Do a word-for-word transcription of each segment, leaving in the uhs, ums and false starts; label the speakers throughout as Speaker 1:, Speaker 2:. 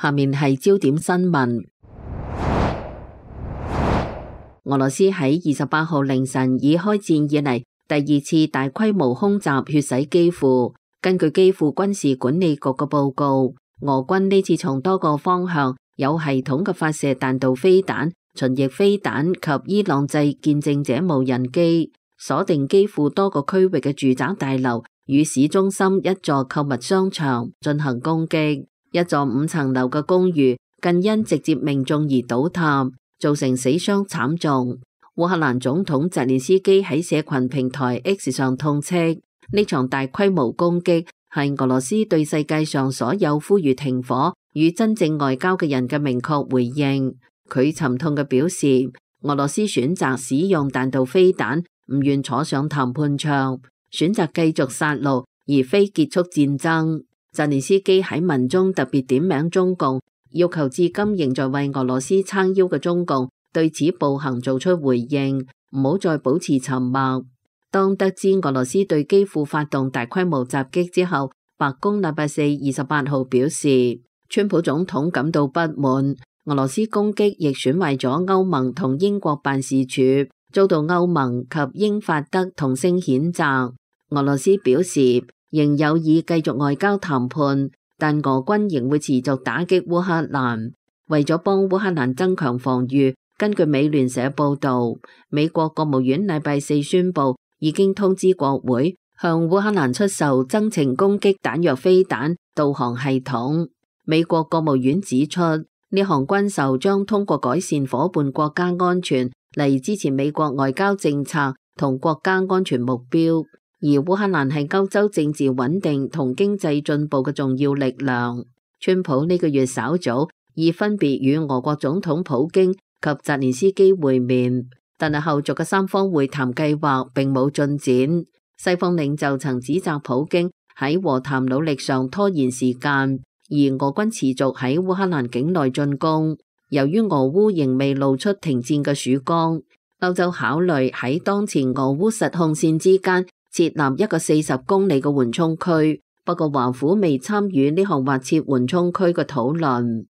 Speaker 1: 下面係焦點新聞。俄羅斯喺二十八號凌晨以開戰以嚟第二次大規模空襲血洗基輔。根據基輔軍事管理局嘅報告，俄軍呢次從多個方向有系統嘅發射彈道飛彈、巡弋飛彈及伊朗製見證者無人機，鎖定基輔多個區域嘅住宅大樓與市中心一座購物商場進行攻擊。一座五層樓嘅公寓更因直接命中而倒塌，造成死傷慘重。烏克蘭總統澤連斯基喺社群平台 X 上痛斥，呢場大規模攻擊係俄羅斯對世界上所有呼籲停火與真正外交嘅人嘅明確回應。佢沉痛嘅表示，俄羅斯選擇使用彈道飛彈，唔願坐上談判桌，選擇繼續殺戮而非結束戰爭。澤連斯基喺文中特別點名中共，要求至今仍在為俄羅斯撐腰嘅中共對此暴行做出回應，唔好再保持沉默。當得知俄羅斯對基輔發動大規模襲擊之後，白宮禮拜四二十八號表示，川普總統感到不滿，俄羅斯攻擊亦損壞咗歐盟同英國辦事處，遭到歐盟及英法德同聲譴責。俄羅斯表示仍有意繼續外交談判，但俄軍仍會持續打擊烏克蘭。為咗幫烏克蘭增強防禦，根據美聯社報道，美國國務院禮拜四宣布，已經通知國會向烏克蘭出售增程攻擊彈藥飛彈導航系統。美國國務院指出，呢項軍售將通過改善夥伴國家安全嚟支持美國外交政策同國家安全目標。而烏克蘭係歐洲政治穩定同經濟進步嘅重要力量。川普呢個月稍早已分別與俄國總統普京及澤連斯基會面，但係後續嘅三方會談計劃並冇進展。西方領袖曾指責普京喺和談努力上拖延時間，而俄軍持續喺烏克蘭境內進攻。由於俄烏仍未露出停戰嘅曙光，歐洲考慮喺當前俄烏實控線之間設立一個四十公里嘅緩衝區，不過華府未參與呢項劃設緩衝區嘅討論。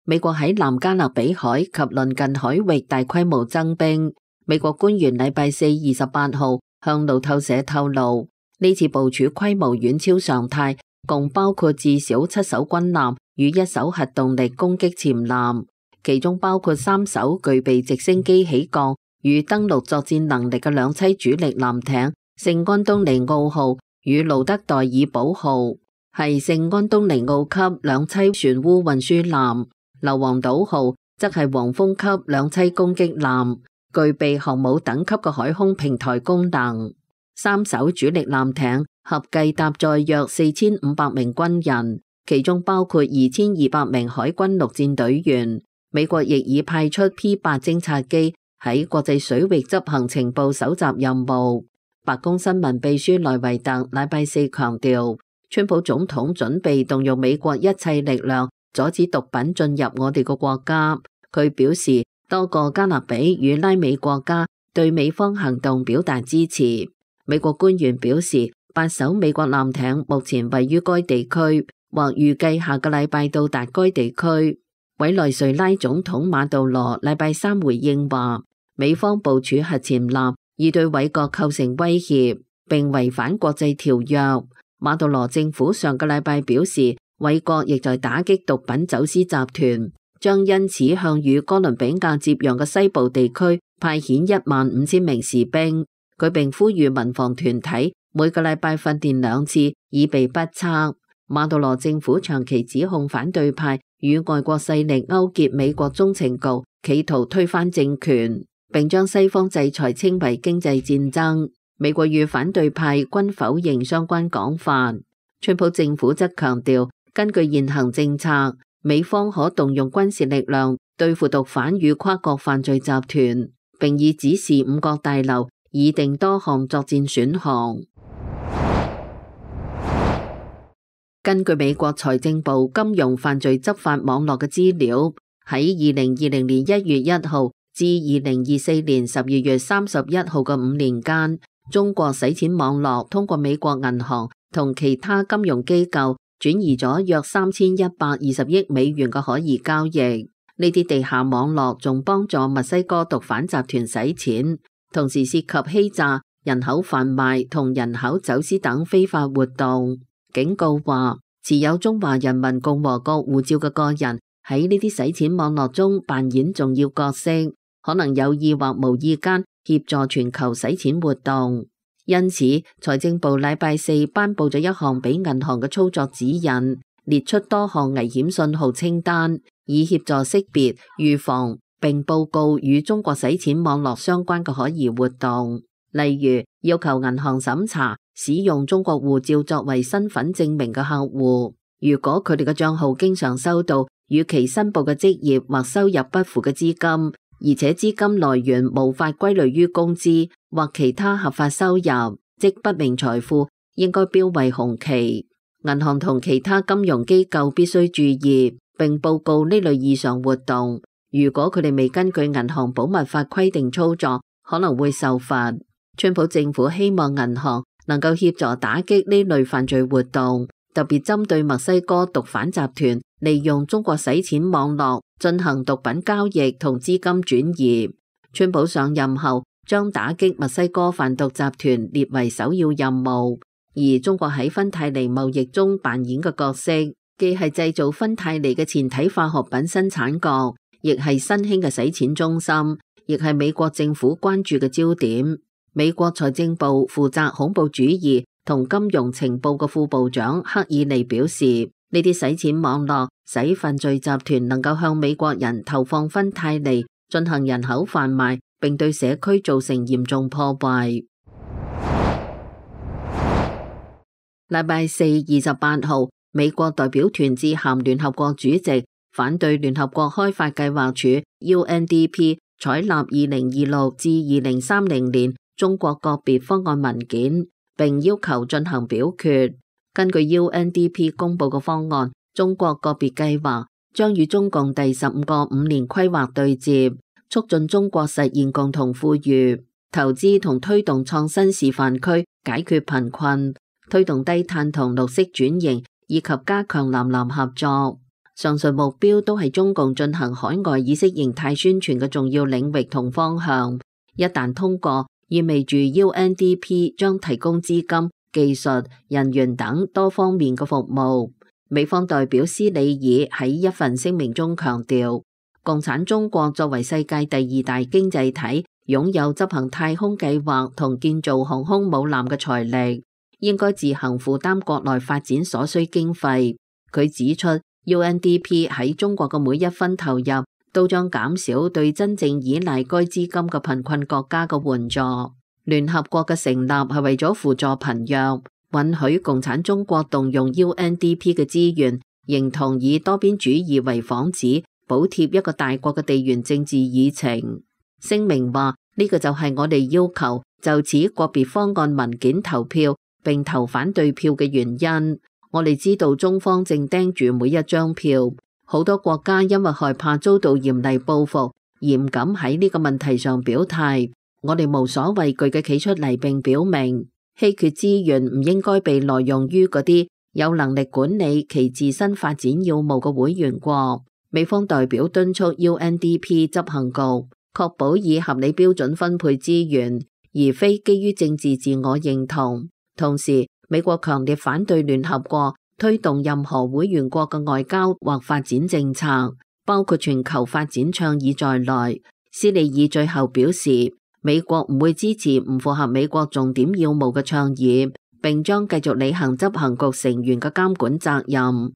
Speaker 1: 美國喺南加勒比海及鄰近海域大規模增兵。美國官員禮拜四二十八號向路透社透露，呢次部署規模遠超常態，共包括至少七艘軍艦與一艘核動力攻擊潛艦，其中包括三艘具備直升機起降與登陸作戰能力嘅兩棲主力艦艇聖安東尼奧號與盧德代爾堡號，係聖安東尼奧級兩棲船塢運輸艦。硫磺島號則係黃蜂級兩棲攻擊艦，具備航母等級嘅海空平台功能。三艘主力艦艇合計搭載約四千五百名軍人，其中包括二千二百名海軍陸戰隊員。美國亦已派出 P 八偵察機喺國際水域執行情報搜集任務。白宮新聞秘書萊維特禮拜四強調，川普總統準備動用美國一切力量阻止毒品進入我哋個國家。佢表示，多個加勒比與拉美國家對美方行動表達支持。美國官員表示，八艘美國艦艇目前位於該地區，或預計下個禮拜到達該地區。委內瑞拉總統馬杜羅禮拜三回應話，美方部署核潛艦已對委國構成威脅，並違反國際條約。馬杜羅政府上個禮拜表示，委國亦在打擊毒品走私集團，將因此向與哥倫比亞接壤嘅西部地區派遣一萬五千名士兵。佢並呼籲民防團體每個禮拜訓練兩次，以備不測。馬杜羅政府長期指控反對派與外國勢力勾結美國中情局，企圖推翻政權，並將西方制裁稱為經濟戰爭。美國與反對派均否認相關講法。川普政府則強調，根據現行政策，美方可動用軍事力量對付毒販與跨國犯罪集團，並已指示五角大樓擬定多項作戰選項。根據美國財政部金融犯罪執法網絡嘅資料，喺二零二零年一月一號至二零二四年十二月三十一號嘅五年間，中國洗錢網絡通過美國銀行同其他金融機構轉移咗約三千一百二十億美元嘅可疑交易。呢啲地下網絡仲幫助墨西哥毒販集團洗錢，同時涉及欺詐、人口販賣同人口走私等非法活動。警告話，持有中華人民共和國護照嘅個人喺呢啲洗錢網絡中扮演重要角色，可能有意或無意間協助全球洗錢活動。因此，財政部禮拜四頒布咗一項俾銀行嘅操作指引，列出多項危險信號清單，以協助識別、預防並報告與中國洗錢網絡相關嘅可疑活動。例如，要求銀行審查使用中國護照作為身份證明嘅客戶，如果佢哋嘅賬號經常收到與其申報嘅職業或收入不符嘅資金，而且資金來源無法歸類於工資或其他合法收入，即不明財富，應該標為紅旗。銀行同其他金融機構必須注意並報告呢類異常活動。如果佢哋未根據銀行保密法規定操作，可能會受罰。川普政府希望銀行能夠協助打擊呢類犯罪活動，特別針對墨西哥毒販集團利用中國洗錢網絡進行毒品交易同資金轉移。川普上任後將打擊墨西哥販毒集團列為首要任務，而中國喺芬太尼貿易中扮演嘅角色，既係製造芬太尼嘅前體化學品生產國，亦係新興嘅洗錢中心，亦係美國政府關注嘅焦點。美國財政部負責恐怖主義同金融情報嘅副部長克爾尼表示，呢啲洗錢網絡使犯罪集團能夠向美國人投放芬太尼，進行人口販賣，並對社區造成嚴重破壞。禮拜四二十八號，美國代表團致函聯合國主席，反對聯合國開發計劃署 U N D P 採納二零二六至二零三零年中國個別方案文件，並要求進行表決。根據 U N D P 公布嘅方案，中國個別計劃將與中共第十五個五年規劃對接，促進中國實現共同富裕，投資同推動創新示範區，解決貧困，推動低碳同綠色轉型，以及加強南南合作。上述目標都係中共進行海外意識形態宣傳嘅重要領域同方向。一旦通過，意味住 U N D P 將提供資金、技術、人員等多方面嘅服務。美方代表斯里爾喺一份聲明中強調，共產中國作為世界第二大經濟體，擁有執行太空計劃同建造航空母艦嘅財力，應該自行負擔國內發展所需經費。佢指出， U N D P 喺中國嘅每一分投入都將減少對真正依賴該資金嘅貧困國家嘅援助。聯合國嘅成立係為咗輔助貧弱，允許共產中國動用 U N D P 嘅資源，認同以多邊主義為幌子，補貼一個大國嘅地緣政治議程。聲明話，呢個就係我哋要求就此個別方案文件投票並投反對票嘅原因。我哋知道中方正盯住每一張票。好多國家因為害怕遭到嚴厲報復，而唔敢喺呢個問題上表態。我哋無所畏懼嘅企出嚟，並表明稀缺資源唔應該被挪用於嗰啲有能力管理其自身發展要務嘅會員國。美方代表敦促 U N D P 執行局確保以合理標準分配資源，而非基於政治自我認同。同時，美國強烈反對聯合國推動任何會員國嘅外交或發展政策，包括全球發展倡議在內。斯里爾最後表示，美國唔會支持唔符合美國重點要務嘅倡議，並將繼續履行執行局成員嘅監管責任。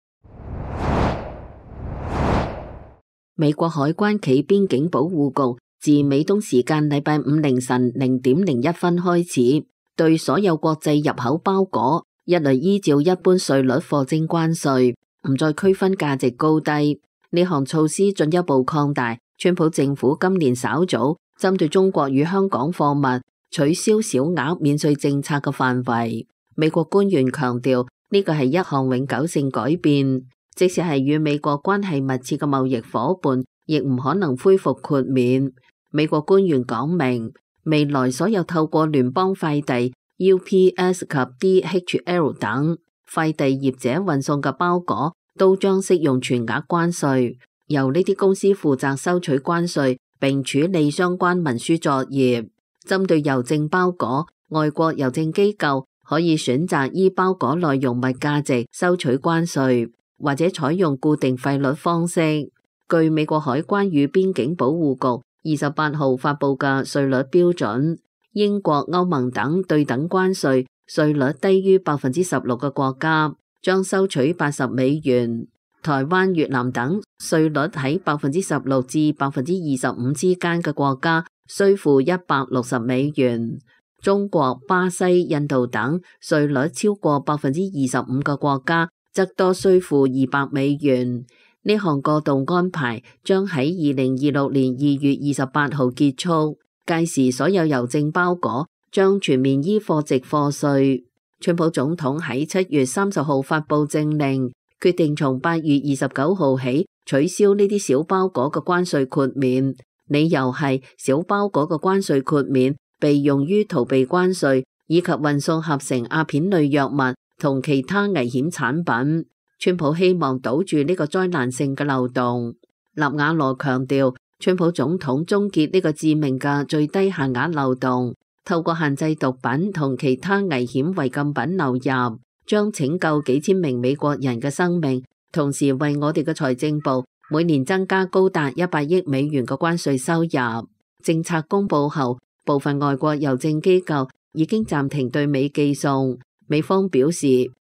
Speaker 1: 美國海關暨邊境保護局自美東時間禮拜五凌晨零點零一分開始，對所有國際入口包裹一律依照一般稅率課徵關稅，唔再區分價值高低。呢項措施進一步擴大川普政府今年稍早針對中國與香港貨物取消小額免稅政策嘅範圍。美國官員強調，呢個係一項永久性改變，即使係與美國關係密切嘅貿易夥伴，亦唔可能恢復豁免。美國官員講明，未來所有透過聯邦快遞 U P S 及 D H L 等快遞業者運送嘅包裹都將適用全額關稅，由呢啲公司負責收取關稅並處理相關文書作業。針對郵政包裹，外國郵政機構可以選擇依包裹內容物價值收取關稅，或者採用固定費率方式。據美國海關與邊境保護局二十八號發佈嘅稅率標準，英國、歐盟等對等關稅稅率低於百分之十六嘅國家將收取八十美元，台灣、越南等稅率喺百分之十六至百分之二十五之間嘅國家需付一百六十美元。中國、巴西、印度等稅率超過百分之二十五嘅國家則多需付二百美元。呢項過渡安排將喺二零二六年二月二十八號結束，屆時所有郵政包裹將全面依貨值課稅。川普總統喺七月三十號發佈政令，決定從八月二十九號起取消呢啲小包裹嘅關稅豁免，理由係小包裹嘅關稅豁免被用於逃避關稅以及運送合成鴉片類藥物同其他危險產品。川普希望堵住呢個災難性嘅漏洞。納瓦羅強調，川普總統終結呢個致命嘅最低限額漏洞，透過限制毒品同其他危險違禁品流入，將拯救幾千名美國人嘅生命，同時為我哋嘅財政部每年增加高達一百億美元嘅關稅收入。政策公布後，部分外國郵政機構已經暫停對美寄送。美方表示，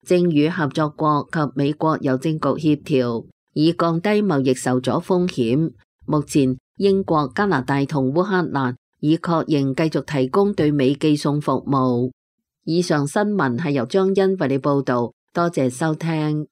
Speaker 1: 正與合作國及美國郵政局協調，以降低貿易受阻風險。目前，英國、加拿大同烏克蘭已確認繼續提供對美寄送服務。以上新聞係由張欣為你報導，多謝收聽。